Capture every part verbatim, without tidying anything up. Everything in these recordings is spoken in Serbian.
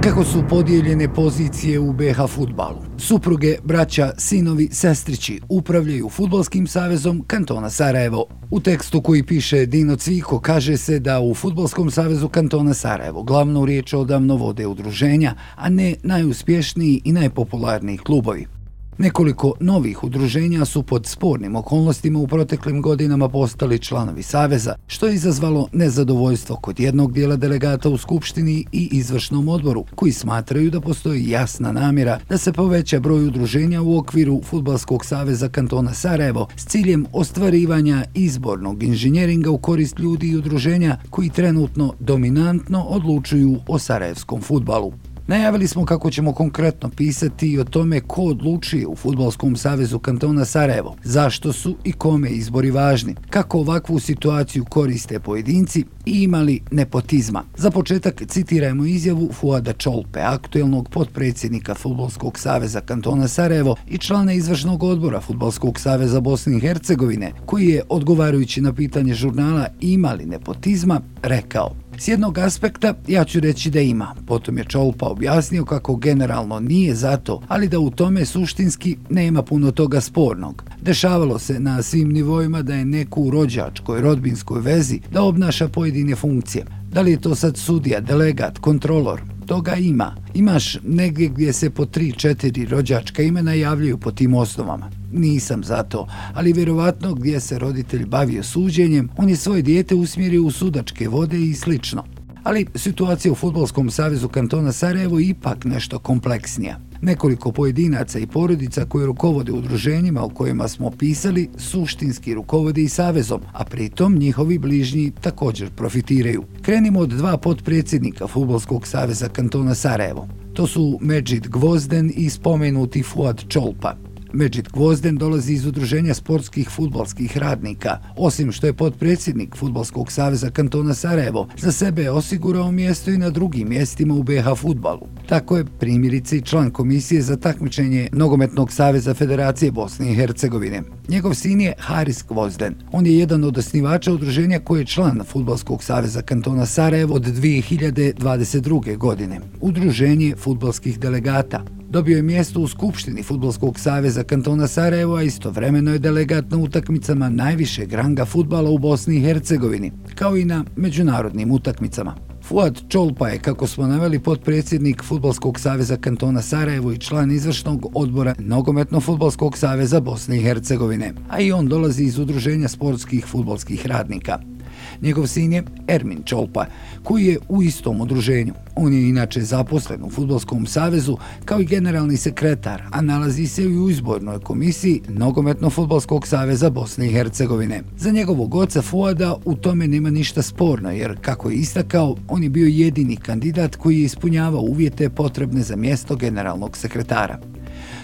Kako su podijeljene pozicije u be ha fudbalu? Supruge, braća, sinovi, sestrići upravljaju Fudbalskim savezom kantona Sarajevo. U tekstu koji piše Dino Cviko kaže se da u Fudbalskom savezu kantona Sarajevo glavnu riječ odavno vode udruženja, a ne najuspješniji i najpopularniji klubovi. Nekoliko novih udruženja su pod spornim okolnostima u proteklim godinama postali članovi saveza, što je izazvalo nezadovoljstvo kod jednog dijela delegata u Skupštini i izvršnom odboru, koji smatraju da postoji jasna namjera da se poveća broj udruženja u okviru Fudbalskog saveza kantona Sarajevo s ciljem ostvarivanja izbornog inženjeringa u korist ljudi i udruženja koji trenutno dominantno odlučuju o sarajevskom fudbalu. Najavili smo kako ćemo konkretno pisati i o tome ko odlučuje u Fudbalskom savezu kantona Sarajevo, zašto su i kome izbori važni, kako ovakvu situaciju koriste pojedinci i imali nepotizma. Za početak citirajmo izjavu Fuada Čolpe, aktuelnog potpredsjednika Fudbalskog saveza kantona Sarajevo i člana izvršnog odbora Fudbalskog saveza Bosne i Hercegovine, koji je, odgovarajući na pitanje žurnala imali nepotizma, rekao: "S jednog aspekta ja ću reći da ima." Potom je Čolpa objasnio kako generalno nije za to, ali da u tome suštinski nema puno toga spornog. Dešavalo se na svim nivoima da je neko u rođačkoj, rodbinskoj vezi da obnaša pojedine funkcije. Da li je to sad sudija, delegat, kontrolor? Toga ima. Imaš negdje gdje se po tri, četiri rođačka imena javljaju po tim osnovama. Nisam za to, ali vjerovatno gdje se roditelj bavio suđenjem, on je svoje dijete usmjerio u sudačke vode i slično. Ali situacija u Fudbalskom savezu kantona Sarajevo je ipak nešto kompleksnija. Nekoliko pojedinaca i porodica koji rukovode udruženjima o kojima smo pisali suštinski rukovode i savezom, a pritom njihovi bližnji također profitiraju. Krenimo od dva potpredsjednika Fudbalskog saveza kantona Sarajevo. To su Medžid Gvozden i spomenuti Fuad Čolpa. Medžid Gvozden dolazi iz udruženja sportskih fudbalskih radnika. Osim što je potpredsjednik Fudbalskog saveza kantona Sarajevo, za sebe je osigurao mjesto i na drugim mjestima u be ha fudbalu. Tako je primjerice i član komisije za takmičenje Nogometnog saveza Federacije Bosne i Hercegovine. Njegov sin je Haris Gvozden. On je jedan od osnivača udruženja koji je član Fudbalskog saveza kantona Sarajevo od dvije hiljade dvadeset druge. godine. Udruženje fudbalskih delegata. Dobio je mjesto u Skupštini Fudbalskog saveza kantona Sarajevo, a istovremeno je delegat na utakmicama najvišeg ranga fudbala u Bosni i Hercegovini, kao i na međunarodnim utakmicama. Fuad Čolpa je, kako smo naveli, potpredsjednik Fudbalskog saveza kantona Sarajevo i član izvršnog odbora Nogometno-fudbalskog saveza Bosne i Hercegovine, a i on dolazi iz udruženja sportskih fudbalskih radnika. Njegov sin je Ermin Čolpa, koji je u istom udruženju. On je inače zaposlen u Fudbalskom savezu kao i generalni sekretar, a nalazi se i u izbornoj komisiji Nogometno-fudbalskog saveza Bosne i Hercegovine. Za njegovog oca Fuada u tome nema ništa sporno, jer, kako je istakao, on je bio jedini kandidat koji je ispunjavao uvjete potrebne za mjesto generalnog sekretara.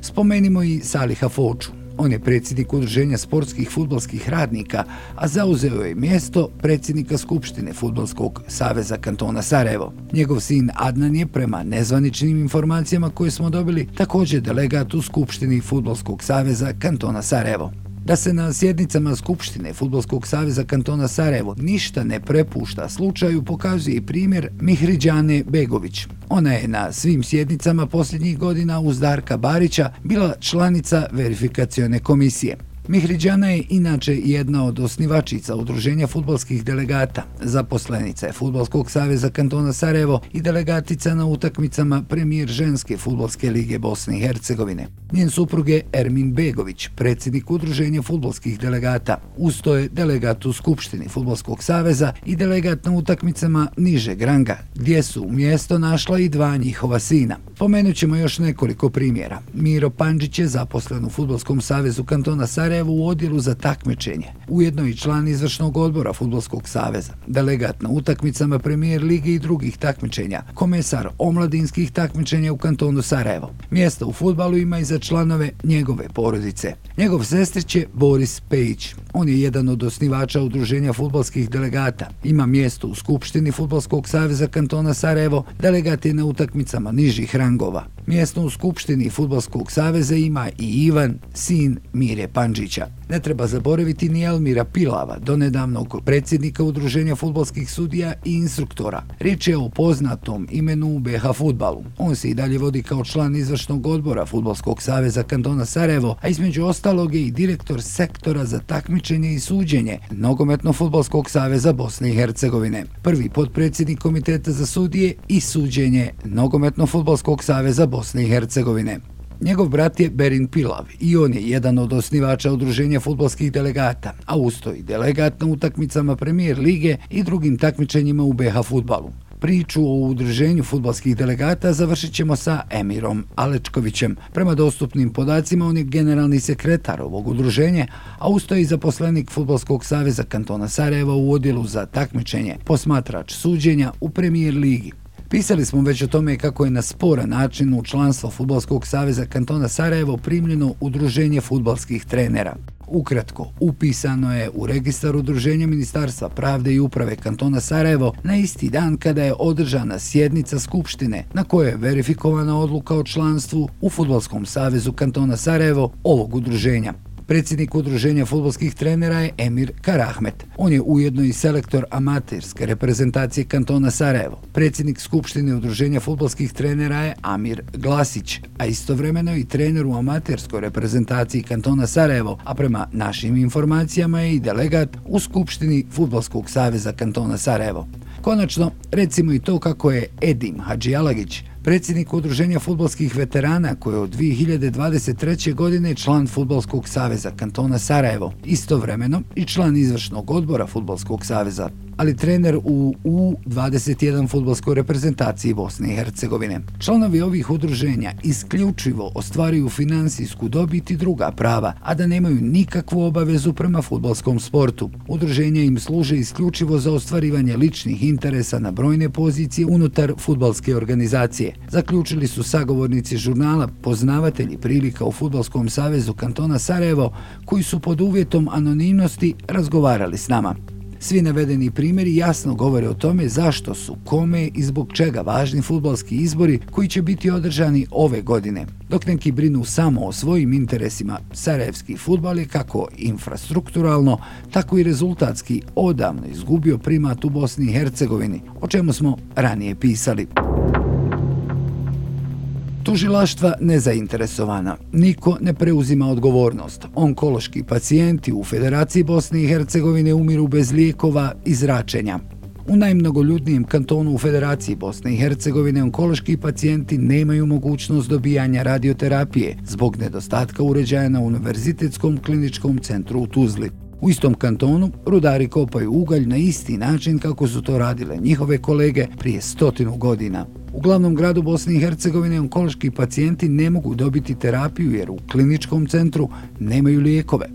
Spomenimo i Saliha Foču. On je predsjednik udruženja sportskih fudbalskih radnika, a zauzeo je mjesto predsjednika Skupštine Fudbalskog saveza kantona Sarajevo. Njegov sin Adnan je, prema nezvaničnim informacijama koje smo dobili, također delegat u Skupštini Fudbalskog saveza kantona Sarajevo. Da se na sjednicama Skupštine Fudbalskog saveza kantona Sarajevo ništa ne prepušta slučaju pokazuje i primjer Mihriđane Begović. Ona je na svim sjednicama posljednjih godina uz Darka Barića bila članica verifikacione komisije. Mihriđana je inače jedna od osnivačica udruženja fudbalskih delegata, zaposlenica je Fudbalskog saveza kantona Sarajevo i delegatica na utakmicama premijer ženske fudbalske lige Bosne i Hercegovine. Njen suprug je Ermin Begović, predsjednik udruženja fudbalskih delegata. Usto je delegat u Skupštini Fudbalskog saveza i delegat na utakmicama nižeg ranga, gdje su mjesto našla i dva njihova sina. Pomenut ćemo još nekoliko primjera. Miro Pandžić je zaposlen u Fudbalskom savezu kantona Sarajevo u odjelu za takmičenje, ujedno i član izvršnog odbora Fudbalskog saveza, delegat na utakmicama premijer lige i drugih takmičenja, komesar omladinskih takmičenja u kantonu Sarajevo. Mjesto u fudbalu ima i za članove njegove porodice. Njegov sestrić je Boris Pejić. On je jedan od osnivača udruženja fudbalskih delegata. Ima mjesto u Skupštini Fudbalskog saveza kantona Sarajevo, delegat je na utakmicama nižih rangova. Mjesto u Skupštini Fudbalskog saveza ima i Ivan, sin Mire Pandžića. Ne treba zaboraviti ni Elmira Pilava, donedavnog predsjednika Udruženja fudbalskih sudija i instruktora. Riječ je o poznatom imenu u be ha fudbalu. On se i dalje vodi kao član izvršnog odbora Fudbalskog saveza kantona Sarajevo, a između ostalog je i direktor sektora za takmičenje i suđenje Nogometno-fudbalskog saveza Bosne i Hercegovine, prvi potpredsjednik komiteta za sudije i suđenje Nogometno-fudbalskog saveza Bosne i Hercegovine. Njegov brat je Berin Pilav i on je jedan od osnivača Udruženja fudbalskih delegata, a usto i delegat na utakmicama Premier lige i drugim takmičenjima u be ha fudbalu. Priču o udruženju fudbalskih delegata završit ćemo sa Emirom Alečkovićem. Prema dostupnim podacima on je generalni sekretar ovog udruženja, a usto je i zaposlenik Fudbalskog saveza kantona Sarajeva u odjelu za takmičenje, posmatrač suđenja u Premier ligi. Pisali smo već o tome kako je na sporan način u članstvo Fudbalskog saveza kantona Sarajevo primljeno udruženje fudbalskih trenera. Ukratko, upisano je u registar udruženja Ministarstva pravde i uprave kantona Sarajevo na isti dan kada je održana sjednica skupštine na kojoj je verifikovana odluka o članstvu u Fudbalskom savezu kantona Sarajevo ovog udruženja. Predsjednik udruženja fudbalskih trenera je Emir Karahmet. On je ujedno i selektor amaterske reprezentacije kantona Sarajevo. Predsjednik skupštine udruženja fudbalskih trenera je Amir Glasić, a istovremeno i trener u amaterskoj reprezentaciji kantona Sarajevo, a prema našim informacijama je i delegat u skupštini Fudbalskog saveza kantona Sarajevo. Konačno, recimo i to kako je Edim Hadžijalagić, predsjednik udruženja fudbalskih veterana koji je od dvije hiljade dvadeset treće. godine član Fudbalskog saveza kantona Sarajevo, istovremeno i član izvršnog odbora Fudbalskog saveza, ali trener u U dvadeset jedan fudbalskoj reprezentaciji Bosne i Hercegovine. Članovi ovih udruženja isključivo ostvaruju finansijsku dobit i druga prava, a da nemaju nikakvu obavezu prema fudbalskom sportu. Udruženja im služe isključivo za ostvarivanje ličnih interesa na brojne pozicije unutar fudbalske organizacije. Zaključili su sagovornici žurnala Poznavatelji prilika u Fudbalskom savezu kantona Sarajevo, koji su pod uvjetom anonimnosti razgovarali s nama. Svi navedeni primjeri jasno govore o tome zašto su, kome i zbog čega važni fudbalski izbori koji će biti održani ove godine. Dok neki brinu samo o svojim interesima, sarajevski fudbal je kako infrastrukturalno, tako i rezultatski odavno izgubio primat u Bosni i Hercegovini, o čemu smo ranije pisali. Tužilaštva nezainteresovana. Niko ne preuzima odgovornost. Onkološki pacijenti u Federaciji Bosne i Hercegovine umiru bez lijekova i zračenja. U najmnogoljudnijem kantonu u Federaciji Bosne i Hercegovine onkološki pacijenti nemaju mogućnost dobijanja radioterapije zbog nedostatka uređaja na Univerzitetskom kliničkom centru u Tuzli. U istom kantonu rudari kopaju ugalj na isti način kako su to radile njihove kolege prije stotinu godina. U glavnom gradu Bosne i Hercegovine onkološki pacijenti ne mogu dobiti terapiju jer u kliničkom centru nemaju lijekove.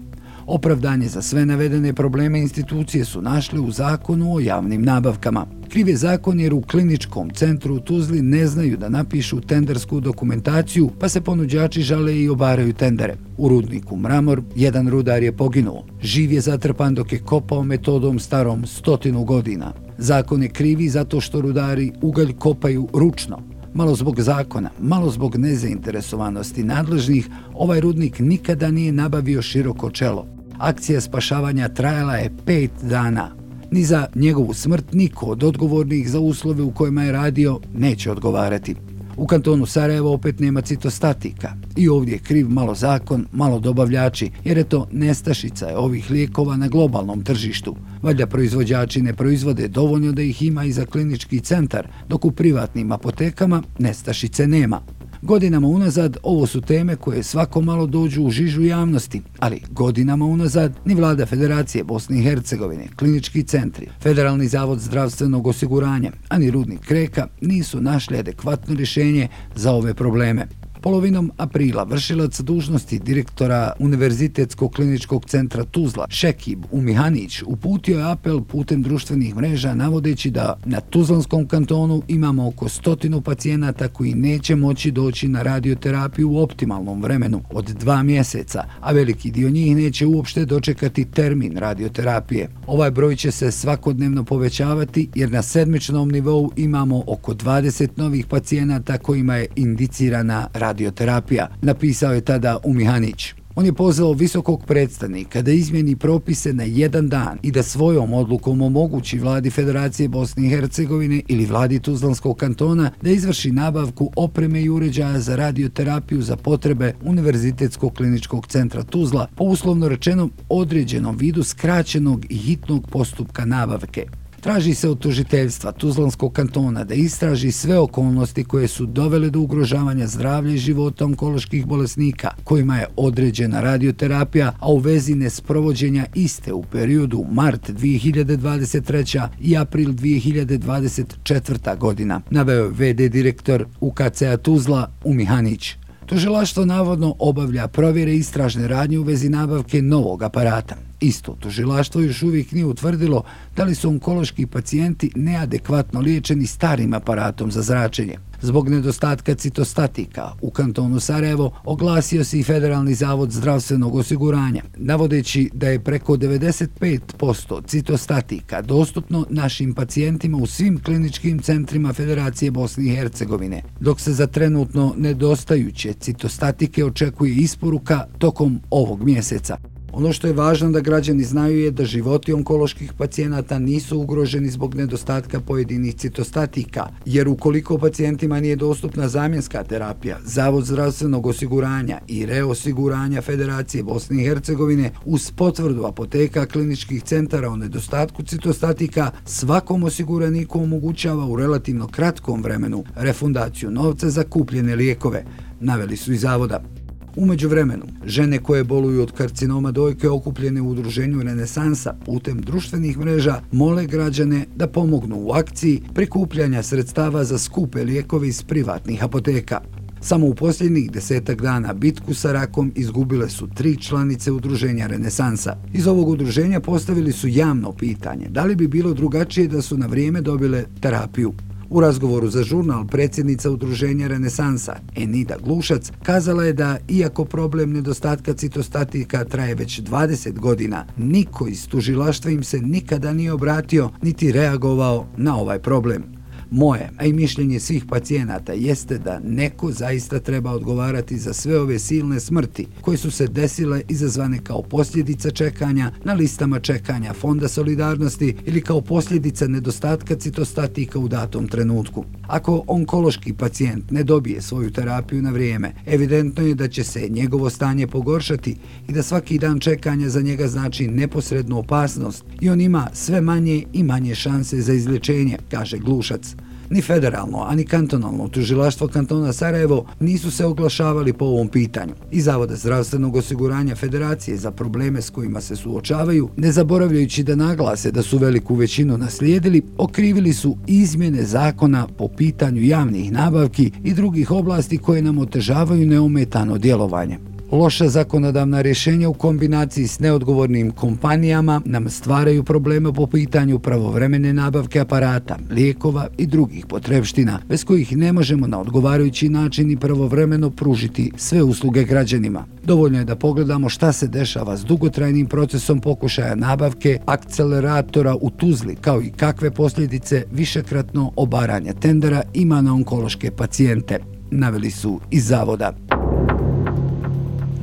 Opravdanje za sve navedene probleme institucije su našle u zakonu o javnim nabavkama. Kriv je zakon jer u kliničkom centru u Tuzli ne znaju da napišu tendersku dokumentaciju, pa se ponuđači žale i obaraju tendere. U rudniku Mramor jedan rudar je poginuo. Živ je zatrpan dok je kopao metodom starom stotinu godina. Zakon je krivi zato što rudari ugalj kopaju ručno. Malo zbog zakona, malo zbog nezainteresovanosti nadležnih, ovaj rudnik nikada nije nabavio široko čelo. Akcija spašavanja trajala je pet dana. Ni za njegovu smrt niko od odgovornih za uslove u kojima je radio neće odgovarati. U kantonu Sarajevo opet nema citostatika. I ovdje je kriv malo zakon, malo dobavljači, jer je to nestašica je ovih lijekova na globalnom tržištu. Valjda proizvođači ne proizvode dovoljno da ih ima i za klinički centar, dok u privatnim apotekama nestašice nema. Godinama unazad ovo su teme koje svako malo dođu u žižu javnosti, ali godinama unazad ni vlada Federacije Bosne i Hercegovine, klinički centri, Federalni zavod zdravstvenog osiguranja, ani rudnik Kreka nisu našli adekvatno rješenje za ove probleme. Polovinom aprila vršilac dužnosti direktora Univerzitetskog kliničkog centra Tuzla, Šekib Umihanić, uputio je apel putem društvenih mreža navodeći da na Tuzlanskom kantonu imamo oko stotinu pacijenata koji neće moći doći na radioterapiju u optimalnom vremenu od dva mjeseca, a veliki dio njih neće uopšte dočekati termin radioterapije. Ovaj broj će se svakodnevno povećavati jer na sedmičnom nivou imamo oko dvadeset novih pacijenata kojima je indicirana radioterapija, napisao je tada Umihanić. On je pozvao visokog predstavnika da izmjeni propise na jedan dan i da svojom odlukom omogući vladi Federacije Bosne i Hercegovine ili vladi Tuzlanskog kantona da izvrši nabavku opreme i uređaja za radioterapiju za potrebe Univerzitetskog kliničkog centra Tuzla po uslovno rečenom određenom vidu skraćenog i hitnog postupka nabavke. Traži se od tužiteljstva Tuzlanskog kantona da istraži sve okolnosti koje su dovele do ugrožavanja zdravlja i života onkoloških bolesnika kojima je određena radioterapija, a u vezi nesprovođenja iste u periodu mart dvije hiljade dvadeset treće. i april dvije hiljade dvadeset četvrte. godina, naveo je ve de direktor U K C-a Tuzla Umihanić. Tužilaštvo navodno obavlja provjere i istražne radnje u vezi nabavke novog aparata. Isto tužilaštvo još uvijek nije utvrdilo da li su onkološki pacijenti neadekvatno liječeni starim aparatom za zračenje. Zbog nedostatka citostatika u kantonu Sarajevo oglasio se i Federalni zavod zdravstvenog osiguranja, navodeći da je preko devedeset pet posto citostatika dostupno našim pacijentima u svim kliničkim centrima Federacije Bosne i Hercegovine, dok se za trenutno nedostajuće citostatike očekuje isporuka tokom ovog mjeseca. Ono što je važno da građani znaju je da životi onkoloških pacijenata nisu ugroženi zbog nedostatka pojedinih citostatika, jer ukoliko pacijentima nije dostupna zamjenska terapija, Zavod zdravstvenog osiguranja i reosiguranja Federacije Bosne i Hercegovine uz potvrdu apoteka kliničkih centara o nedostatku citostatika svakom osiguraniku omogućava u relativno kratkom vremenu refundaciju novca za kupljene lijekove, naveli su iz zavoda. U međuvremenu, žene koje boluju od karcinoma dojke okupljene u udruženju Renesansa putem društvenih mreža mole građane da pomognu u akciji prikupljanja sredstava za skupe lijekove iz privatnih apoteka. Samo u posljednjih desetak dana bitku sa rakom izgubile su tri članice udruženja Renesansa. Iz ovog udruženja postavili su javno pitanje da li bi bilo drugačije da su na vrijeme dobile terapiju. U razgovoru za žurnal predsjednica udruženja Renesansa, Enida Glušac, kazala je da, iako problem nedostatka citostatika traje već dvadeset godina, niko iz tužilaštva im se nikada nije obratio niti reagovao na ovaj problem. Moje, a i mišljenje svih pacijenata jeste da neko zaista treba odgovarati za sve ove silne smrti koje su se desile izazvane kao posljedica čekanja na listama čekanja Fonda solidarnosti ili kao posljedica nedostatka citostatika u datom trenutku. Ako onkološki pacijent ne dobije svoju terapiju na vrijeme, evidentno je da će se njegovo stanje pogoršati i da svaki dan čekanja za njega znači neposrednu opasnost i on ima sve manje i manje šanse za izlječenje, kaže Glušac. Ni federalno, ani kantonalno tužilaštvo kantona Sarajevo nisu se oglašavali po ovom pitanju. Iz Zavoda zdravstvenog osiguranja Federacije za probleme s kojima se suočavaju, ne zaboravljajući da naglase da su veliku većinu naslijedili, okrivili su izmjene zakona po pitanju javnih nabavki i drugih oblasti koje nam otežavaju neometano djelovanje. Loša zakonodavna rješenja u kombinaciji s neodgovornim kompanijama nam stvaraju probleme po pitanju pravovremene nabavke aparata, lijekova i drugih potrebština, bez kojih ne možemo na odgovarajući način i pravovremeno pružiti sve usluge građanima. Dovoljno je da pogledamo šta se dešava s dugotrajnim procesom pokušaja nabavke akceleratora u Tuzli, kao i kakve posljedice višekratno obaranja tendera ima na onkološke pacijente, naveli su iz zavoda.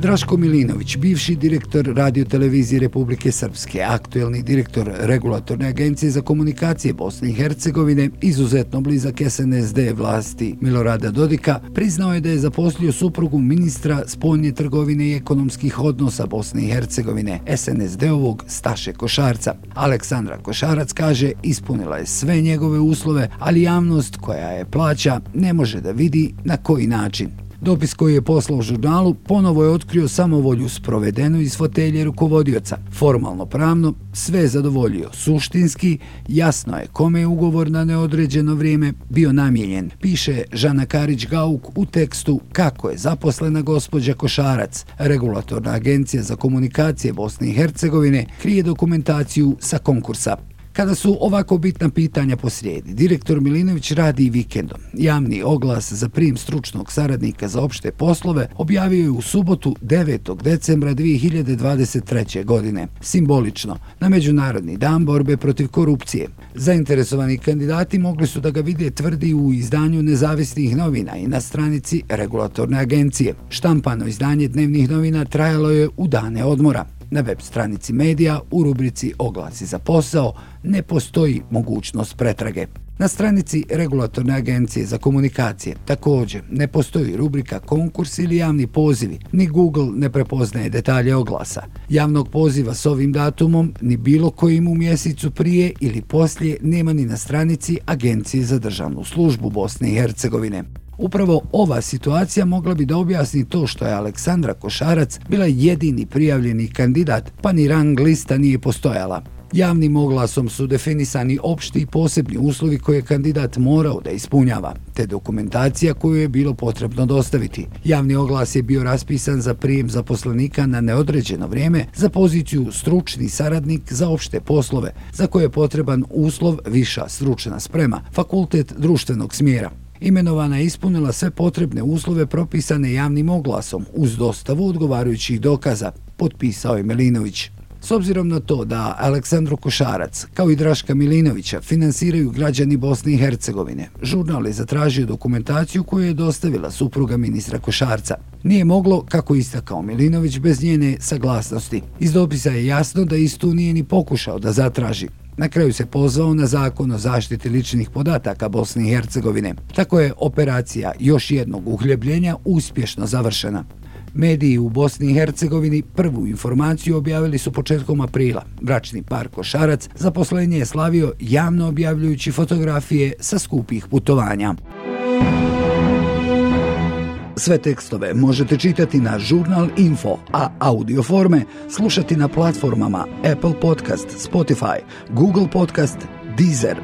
Draško Milinović, bivši direktor radiotelevizije Republike Srpske, aktuelni direktor Regulatorne agencije za komunikacije Bosne i Hercegovine, izuzetno blizak es en es de vlasti Milorada Dodika, priznao je da je zaposlio suprugu ministra spoljne trgovine i ekonomskih odnosa Bosne i Hercegovine, es en es de-ovog Staše Košarca. Aleksandra Košarac kaže ispunila je sve njegove uslove, ali javnost koja je plaća ne može da vidi na koji način. Dopis koji je poslao žurnalu ponovo je otkrio samovolju sprovedenu iz fotelje rukovodioca. Formalno pravno sve je zadovoljio. Suštinski jasno je kome je ugovor na neodređeno vrijeme bio namijenjen, piše Žana Karić-Gauk u tekstu Kako je zaposlena gospođa Košarac. Regulatorna agencija za komunikacije Bosne i Hercegovine krije dokumentaciju sa konkursa. Kada su ovako bitna pitanja posrijedi, direktor Milinović radi i vikendom. Javni oglas za prijem stručnog saradnika za opšte poslove objavio je u subotu devetog decembra dvije hiljade dvadeset treće. godine, simbolično, na Međunarodni dan borbe protiv korupcije. Zainteresovani kandidati mogli su da ga vide, tvrdi u izdanju nezavisnih novina i na stranici regulatorne agencije. Štampano izdanje dnevnih novina trajalo je u dane odmora. Na web stranici medija u rubrici Oglasi za posao ne postoji mogućnost pretrage. Na stranici regulatorne agencije za komunikacije također ne postoji rubrika konkurs ili javni pozivi, ni Google ne prepoznaje detalje oglasa. Javnog poziva s ovim datumom ni bilo kojim u mjesecu prije ili poslije nema ni na stranici Agencije za državnu službu Bosne i Hercegovine. Upravo ova situacija mogla bi da objasni to što je Aleksandra Košarac bila jedini prijavljeni kandidat, pa ni rang lista nije postojala. Javnim oglasom su definisani opšti i posebni uslovi koje je kandidat morao da ispunjava, te dokumentacija koju je bilo potrebno dostaviti. Javni oglas je bio raspisan za prijem zaposlenika na neodređeno vrijeme za poziciju stručni saradnik za opšte poslove, za koje je potreban uslov viša stručna sprema, fakultet društvenog smjera. Imenovana je ispunila sve potrebne uslove propisane javnim oglasom uz dostavu odgovarajućih dokaza, potpisao je Milinović. S obzirom na to da Aleksandru Košarac, kao i Draška Milinovića, finansiraju građani Bosne i Hercegovine, žurnal je zatražio dokumentaciju koju je dostavila supruga ministra Košarca. Nije moglo, kako istakao Milinović, bez njene saglasnosti. Iz dopisa je jasno da istu nije ni pokušao da zatraži. Na kraju se pozvao na zakon o zaštiti ličnih podataka Bosne i Hercegovine. Tako je operacija još jednog uhljebljenja uspješno završena. Mediji u Bosni i Hercegovini prvu informaciju objavili su početkom aprila. Bračni par Košarac zaposlenje je slavio javno objavljujući fotografije sa skupih putovanja. Sve tekstove možete čitati na Žurnal Info, a audio forme slušati na platformama Apple Podcast, Spotify, Google Podcast, Deezer.